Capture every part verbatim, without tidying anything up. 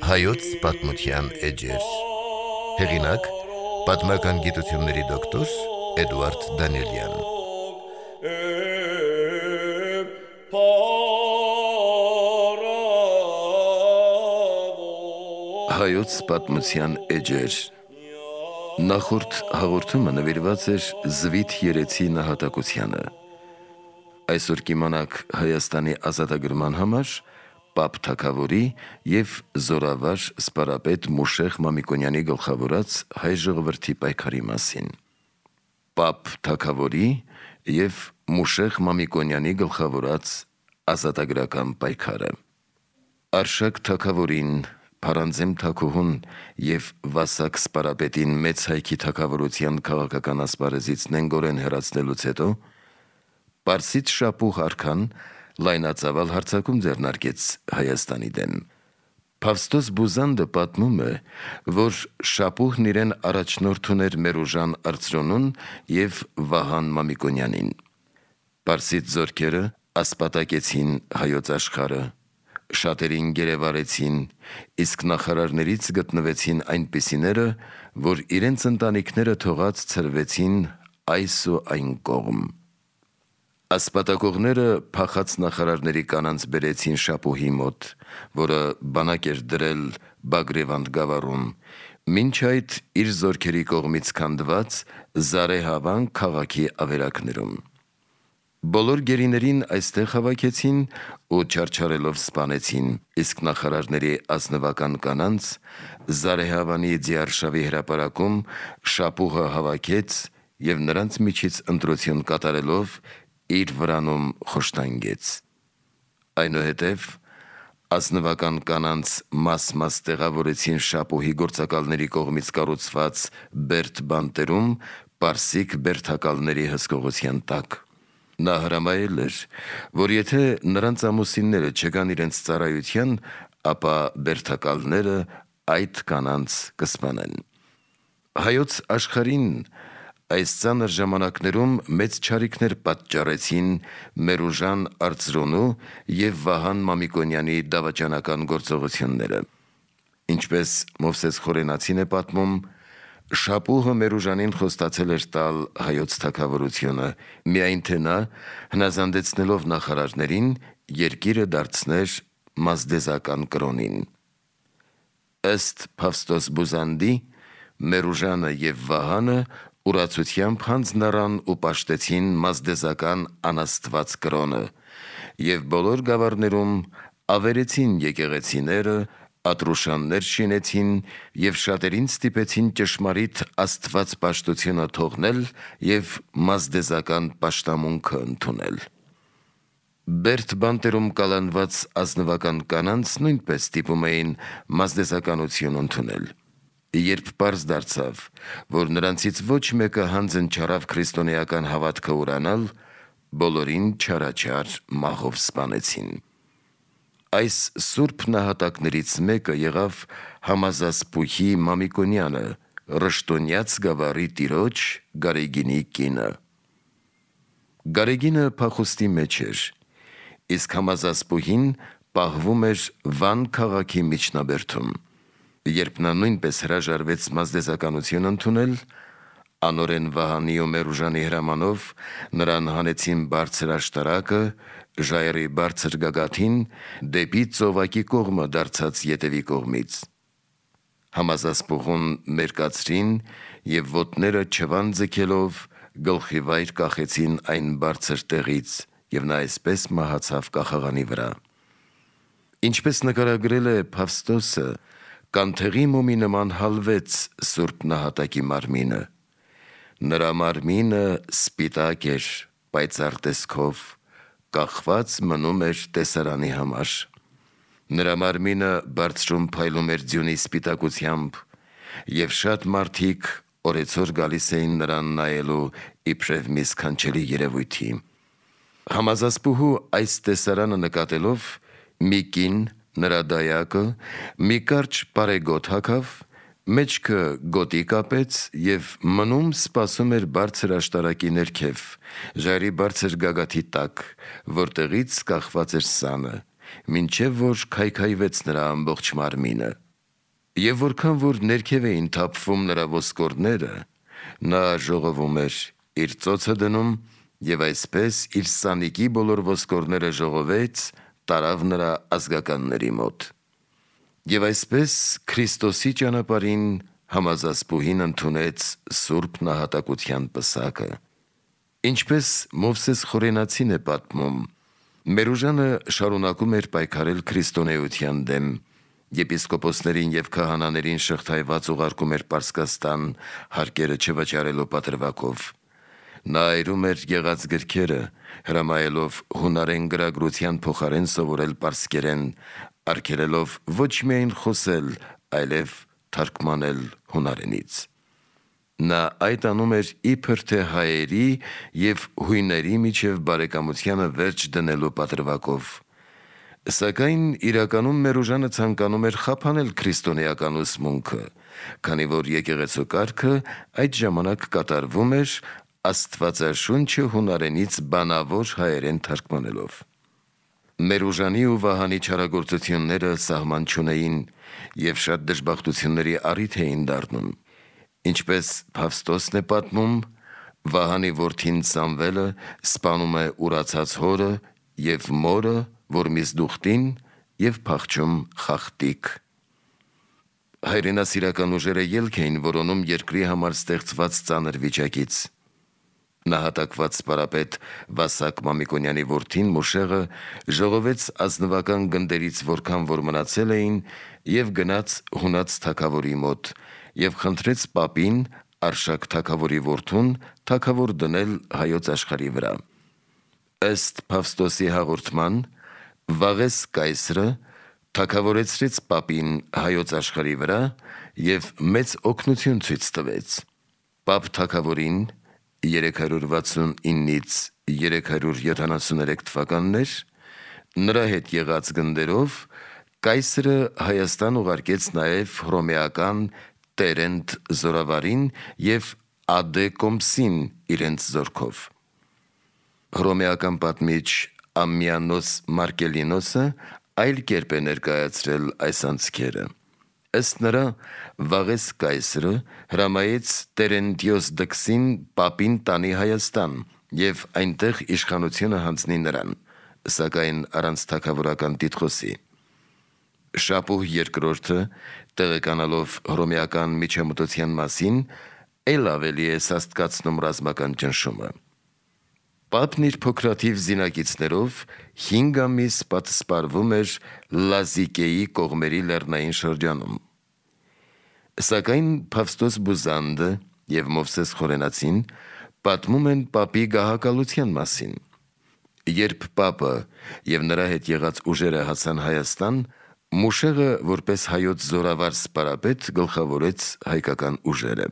Հայոց պատմության էջեր։ Հեղինակ՝ պատմական գիտությունների դոկտոր Էդուարդ Դանիելյան։ Հայոց պատմության էջեր։ Նախորդ հաղորդումը նվիրված էր Զվիթ երեցի նահատակությանը։ Այսօր կիմանաք Հայաստանի ազատագրման համար Պապ թագավորի և զորավար սպարապետ Մուշեղ Մամիկոնյանի գլխավորած հայ ժողովրդի պայքարի մասին։ Պապ թագավորի և Մուշեղ Մամիկոնյանի գլխավորած ազատագրական պայքարը։ Արշակ թագավորին, Փարանձեմ թագուհուն և Վասակ սպարապետին մեծ հայքի թագավորության քաղաքական ասպարեզից նենգորեն հեռացնելուց հետո Պարսից շապուհ արքան լայնածավալ հարձակում ձեռնարկեց Հայաստանի դեմ։ Փավստոս Բուզանդը պատմում է, որ շապուհն իրեն առաջնորդ ուներ Մերուժան Արծրոնուն և Վահան Մամիկոնյանին։ Պարսից զորքերը ասպատակեցին հայոց աշխարհը, շատերին գերեվարեցին, իսկ նախարարներից գտնվեցին այնպիսիները, որ իրենց ընտանիքները թողած ցրվեցին այս ու այն կողմ։ Ասպատակողները փախած նախարարների կանանց բերեցին շապուհի մոտ, որը բանակ էր դրել Բագրևանդ գավառում, մինչ այդ իր զորքերի կողմից քանդված Զարեհավան քաղաքի ավերակներում։ Բոլոր գերիներին այստեղ հավաքեցին ու չարչարելով սպանեցին, իսկ նախարարների ազնվական կանանց Զարեհավանի Ձիարշավի հրապարակում շապուհը հավաքեց և նրանց միջից ընտրություն կատարելով իր վրանում խոշտանգեց։ Այնուհետև ազնվական կանանց մաս-մաս տեղավորեցին շապուհի գործակալների կողմից կառուցված Բերդ բանտերում պարսիկ բերդակալների հսկողության տակ։ Նա հրամայել էր, որ եթե նրանց ամուսինները չգան իրենց ծառայության, ապա բերդակալները այդ կանանց կսպանեն։ Հայոց աշխարհին այս ծանր ժամանակներում մեծ չարիքներ պատճառեցին Մերուժան Արծրոնու և Վահան Մամիկոնյանի դավաճանական գործողությունները։ Ինչպես Մովսես Խորենացին է պատմում, շապուհը Մերուժանին խոստացել էր տալ հայոց թագավորությունը, միայն թե նա, հնազանդեցնելով նախարարներին, երկիրը դարձներ մազդեզական կրոնին։ Ըստ Փավստոս Բուզանդի, Մերուժանը և Վահանը ուրացությամբ հանձն առան ու պաշտեցին մազդեզական անաստված կրոնը և բոլոր գավառներում ավերեցին եկեղեցիները, ատրուշաններ շինեցին և շատերին ստիպեցին ճշմարիտ աստվածպաշտությունը թողնել և մազդեզական պաշտամունքը ընդունել։ Բերդ բանտերում կալանված ազնվական կանանց նույնպես ստիպում էին մազդեզականություն ընդունել։ Երբ պարզ դարձավ, որ նրանցից ոչ մեկը հանձն չառավ քրիստոնեական հավատքը ուրանալ, բոլորին չարաչար մահով սպանեցին։ Այս սուրբ նահատակներից մեկը եղավ Համազասպուհի Մամիկոնյանը, Ռշտոնյաց գավառի տիրոջ Գարեգինի կինը։ Գարեգինը փախուստի մեջ էր, իսկ Համազասպուհին պահվում էր Վան քաղաքի միջնաբերդում։ Երբ նա նույնպես հրաժարվեց մազդեզականություն ընդունել, անօրեն Վահանի ու Մերուժանի հրամանով նրան հանեցին բարձր աշտարակը, ժայռի բարձր գագաթին, դեպի ծովակի կողմը դարձած ետևի կողմից։ Համազասպուհուն մերկացրին և ոտները չվան ձգելով գլխի վայր կախեցին այն բարձր տեղից, և նա այսպես մահացավ կախաղանի վրա։ Ինչպես նկարագրել է Փավստոսը, կանթեղի մոմի նման հալվեց սուրբ նահատակի մարմինը։ Նրա մարմինը սպիտակ էր, պայծառ տեսքով, կախված մնում էր տեսարանի համար։ Նրա մարմինը բարձրում փայլում էր ձյունի սպիտակությամբ, և շատ մարդիկ օրեցօր գալիս էին նրան նայելու իբրև մի սքանչելի երևույթի։ Համազասպուհու այս տեսարանը նկատելով, մի կին, նրա դայակը, մի կարճ պարեգոտ հագավ, մեջքը գոտի կապեց և մնում սպասում էր բարձր աշտարակի ներքև, ժայռի բարձր գագաթի տակ, որտեղից կախված էր սանը, մինչև որ քայքայվեց նրա ամբողջ մարմինը, Եվ որքան որ ներքև էին թափվում նրա ոսկորները, նա ժողովում էր իր ծոցը դնում և այսպես իր սանիկի բոլոր ոսկորները ժողովեց, տարավ նրա ազգականների մոտ։ Եվ այսպես Քրիստոսի ճանապարհին համազասպուհին ընդունեց սուրբ նահատակության պսակը։ Ինչպես Մովսես Խորենացին է պատմում, Մերուժանը շարունակում էր պայքարել քրիստոնեության դեմ, եպիսկոպոսներին և քահանաներին շղթայված ուղարկում էր Պարսկաստան, հարկերը չվճարելու պատրվակով։ Նա այրում էր եղած գրքերը, հրամայելով հունարեն գրագրության փոխարեն սովորել պարսկերեն, արգելելով ոչ միայն խոսել, այլև թարգմանել հունարենից։ Նա այդ անում էր իբր թե հայերի և հույների միջև բարեկամությանը վերջ դնելու պատրվակով։ Սակայն իրականում Մերուժանը ցանկանում էր խափանել քրիստոնեական ուսմունքը, քանի որ եկեղեցու կարգը այդ ժամանակ կատարվում էր Աստվածաշունչը հունարենից բանավոր հայերեն թարգմանելով։ Մերուժանի ու Վահանի չարագործությունները սահման չունեին և շատ դժբախտությունների առիթ էին դառնում։ Ինչպես Փավստոսն է պատմում, Վահանի որդին Սամվելը սպանում է ուրացած հորը և մորը, որ Միզդուխտին, և փախչում Խախտիկ։ Հայրենասիրական ուժերը ելք էին որոնում երկրի համար ստեղծված ծանր վիճակից։ Նահատակված սպարապետ Վասակ Մամիկոնյանի որդին Մուշեղը ժողովեց ազնվական գնդերից որքան որ մնացել էին և գնաց հունած թագավորի մոտ և խնդրեց պապին Արշակ թագավորի որդուն թագավոր դնել հայոց աշխարհի վրա։ Ըստ Փավստոսի հաղորդման, Վաղես կայսրը թագավորեցրեց պապին հայոց աշխարհի վրա և մեծ օգնություն ցույց տվեց։ Պապ թագավորին երեք հարյուր վաթսունինից երեք հարյուր յոթանասուներեք թվականներ նրա հետ եղած գնդերով կայսրը Հայաստան ուղարկեց նաև հռոմեական Տերենտ զորավարին և Ադե Կոմսին իրենց զորքով։ Հռոմեական պատմիչ Ամմիանոս Մարկելինոսը այլ կերպ է ներկայացրել այս անցքերը։ Ըստ նրա, Վաղես կայսրը հրամայեց Տերենտիոս Դքսին պապին տանի Հայաստան և այնտեղ իշխանությունը հանձնի նրան, սակայն առանց թագավորական տիտղոսի։ Շապուհ երկրորդը, տեղեկանալով հռոմեական միջամտության մասին, էլ ավելի է սաստկացնում ռազմական ճնշումը։ Պապն իր փոքրաթիվ զինակիցներով հինգ ամիս պատսպարվում էր Լազիկեի կողմերի լեռնային շրջանում։ Սակայն Փավստոս Բուզանդը և Մովսես Խորենացին պատմում են պապի գահակալության մասին։ Երբ պապը և նրա հետ եղած ուժերը հասան Հայաստան, Մուշեղը որպես հայոց զորավար սպարապետ գլխավորեց հայկական ուժերը։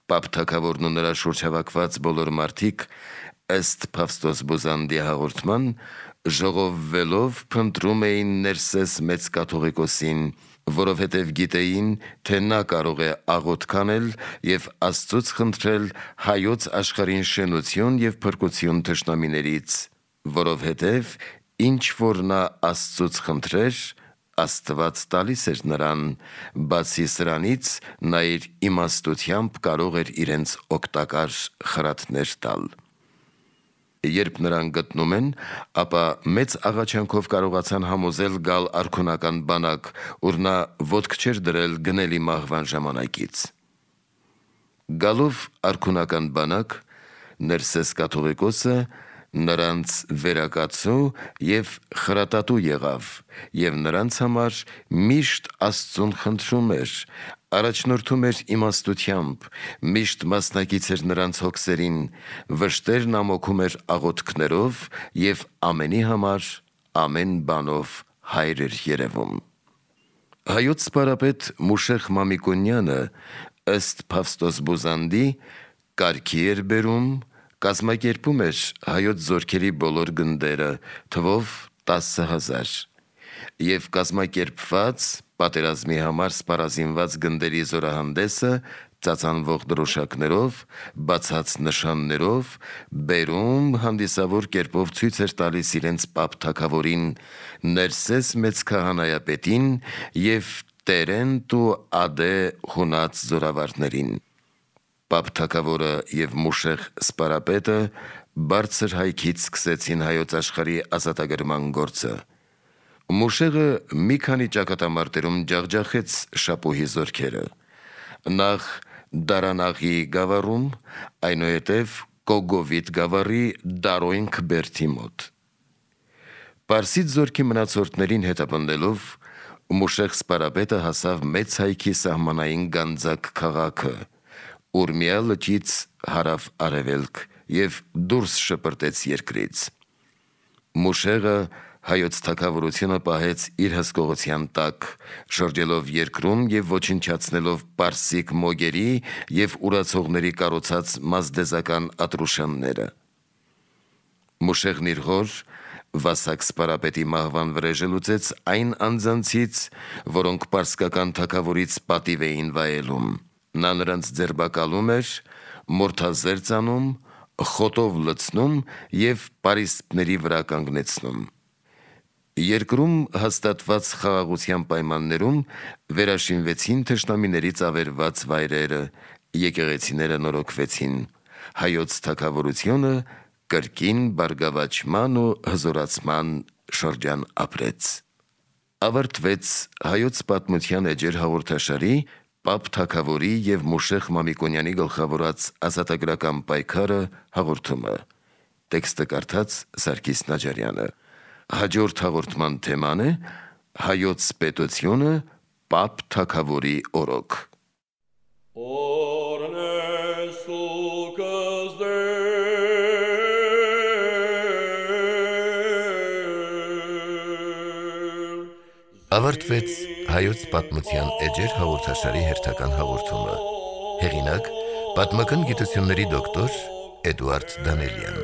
Պապ թագավորն ու նրա շուրջ հավաքված բոլոր մարդիկ, ըստ Փավստոս Բուզանդի հաղորդման, ժողովվելով փնտրում էին Ներսես մեծ կաթողիկոսին, որովհետև գիտեին, թե նա կարող է աղոթք անել և Աստծուց խնդրել հայոց աշխարհին շենություն և փրկություն թշնամիներից, որովհետև ինչ որ նա Աստծուց խնդրեր, Աստված տալիս էր նրան, բացի սրանից նա իր իմաստությամբ կարող էր իրենց օգտակար խրատներ տալ։ Երբ նրան գտնում են, ապա մեծ աղաչանքով կարողացան համոզել գալ արքունական բանակ, ուր նա ոտք չէր դրել գնելի մահվան ժամանակից։ Գալով արքունական բանակ, Ներսես կաթողիկոսը նրանց վերակացու և խրատատու եղավ և նրանց համար միշտ Աստծուն խնդրում էր, առաջնորդում էր իմաստությամբ, միշտ մասնակից էր նրանց հոգսերին, վշտերն ամոքում էր աղոթքներով և ամենի համար ամեն բանով հայր էր երևում։ Հայոց սպարապետ Մուշեղ Մամիկոնյանը, ըստ Փավստոս Բուզանդի, կարգի էր բերում, կազմակերպում էր հայոց զորքերի բոլոր գնդերը, թվով տասը հազար, և կազմակերպված պատերազմի համար սպառազինված գնդերի զորահանդեսը ծածանվող դրոշակներով, բացած նշաններով, բերում հանդիսավոր կերպով ցույց էր տալիս իրենց պապ թագավորին, Ներսես մեծ քահանայապետին և Տերենտ ու ադե հունած զորավարներին։ Պապ թագավորը և Մուշեղ սպարապետը բարձր հայքից սկսեցին հայոց աշխարհի ազատագրման գործը։ Մուշեղը մի քանի ճակատամարտերում ջախջախեց Շապուհի զորքերը։ Նախ Դարանաղի գավառում, այնուհետև Կոգովիտ գավառի Դարոյնք բերդի մոտ։ Պարսից զորքի մնացորդներին հետապնդելով Մուշեղ սպարապետը հասավ մեծ հայքի սահմանային Գանձակ քաղաքը, Ուրմիա լճից հարավ արևելք և դուրս շպրտեց երկրից։ Մուշեղը հայոց թագավորությունը պահեց իր հսկողության տակ, շրջելով երկրում և ոչնչացնելով պարսիկ մոգերի և ուրացողների կառուցած մազդեզական ատրուշանները։ Մուշեղն իր հոր Վասակ սպարապետի մահվան վրեժը լուծեց այն անձանցից, որոնք պարսկական թագավորից պատիվ էին վայելում։ Նա նրանց ձերբակալում էր, մորթազերծ անում, խոտով լցնում և պարիսպների վրա կանգնեցնում։ Երկրում հաստատված խաղաղության պայմաններում վերաշինվեցին թշնամիներից ավերված վայրերը, եկեղեցիները նորոգվեցին, հայոց թագավորությունը կրկին բարգավաճման ու հզորացման շրջան ապրեց։ Ավարտվեց Հայոց պատմության էջեր հաղորդաշարի Պապ թագավորի և Մուշեղ Մամիկոնյանի գլխավորած ազատագրական պայքարը հաղորդումը։ Տեքստը կարդաց Սարգիս Նաջարյանը։ Հաջորդ հաղորդման թեման է Հայոց պետությունը Պապ թագավորի օրոք։ Ավարտվեց Հայոց պատմության էջեր հաղորդաշարի հերթական հաղորդումը։ Հեղինակ՝ պատմական գիտությունների դոկտոր Էդուարդ Դանելյան։